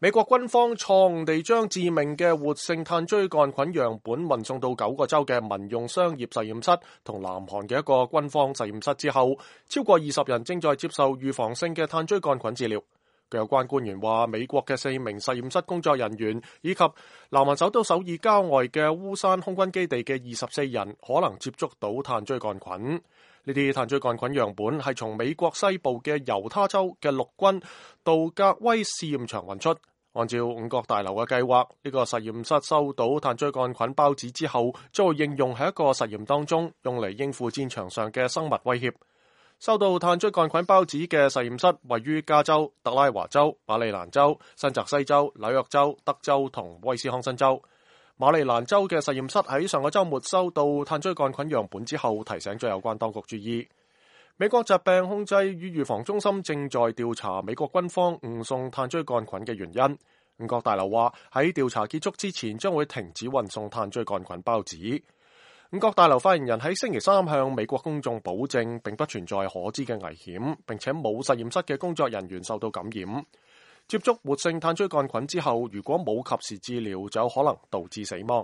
美國軍方錯誤地將致命嘅活性炭疽桿菌樣本運送到9個州嘅民用商業實驗室同南韓嘅一個軍方實驗室之後，超過20人正在接受預防性嘅炭疽桿菌治療。據有關官員話，美國嘅4名實驗室工作人員以及南韓首都首爾郊外嘅烏山空軍基地嘅24人可能接觸到炭疽桿菌。呢啲炭疽桿菌樣本係從美國西部嘅猶他州嘅陸軍杜格威試驗場運出。按照五角大樓嘅計劃，呢個實驗室收到炭疽桿菌孢子之後，將會應用喺一個實驗當中，用嚟應付戰場上嘅生物威脅。收到炭疽桿菌孢子嘅實驗室位於加州、特拉華州、馬里蘭州、新澤西州、紐約州、德州同威斯康辛州。馬里蘭州嘅實驗室喺上個週末收到炭疽桿菌樣本之後，提醒咗有關當局注意。美國疾病控制與預防中心正在調查美國軍方誤送炭疽桿菌嘅原因。五角大樓話喺調查結束之前將會停止運送炭疽桿菌孢子。五角大樓發言人喺星期三向美國公眾保證，並不存在可知嘅危險，並且冇實驗室嘅工作人員受到感染。接觸活性炭疽桿菌之後，如果冇及時治療，就有可能導致死亡。